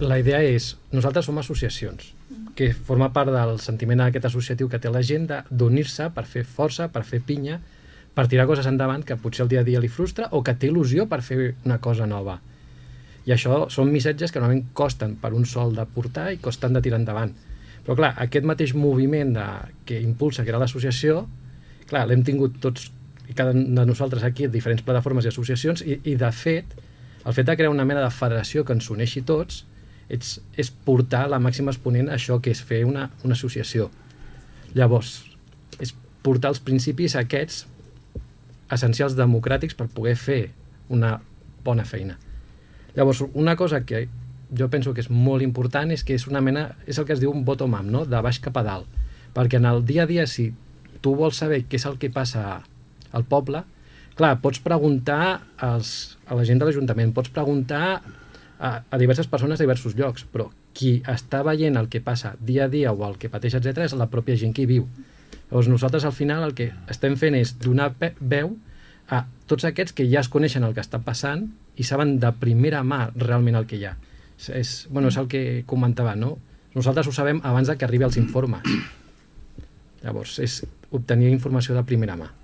La idea és, nosaltres som associacions, que forma part del sentiment aquest associatiu que té la gent d'unir-se per fer força, per fer pinya, per tirar coses endavant que potser el dia a dia li frustra o que té il·lusió per fer una cosa nova. I això són missatges que normalment costen per un sol de portar i costen de tirar endavant. Però clar, aquest mateix moviment que impulsa, que era l'associació, clar, l'hem tingut tots i cada un de nosaltres aquí en diferents plataformes i associacions i de fet, el fet de crear una mena de federació que ens uneixi tots és portar la màxima exponent a això que és fer una associació. Llavors, és portar els principis aquests essencials democràtics per poder fer una bona feina. Llavors, una cosa que jo penso que és molt important és que és una mena, és el que es diu un bottom-up, no? De baix cap a dalt. Perquè en el dia a dia, si tu vols saber què és el que passa al poble, clar, pots preguntar a la gent de l'Ajuntament, pots preguntar a diverses persones de diversos llocs, però qui està veient el que passa dia a dia o el que pateix, etc., és la pròpia gent que hi viu. Llavors nosaltres al final el que estem fent és donar veu a tots aquests que ja es coneixen el que està passant i saben de primera mà realment el que hi ha. És el que comentava, no? Nosaltres ho sabem abans de que arribi als informes. Llavors, és obtenir informació de primera mà.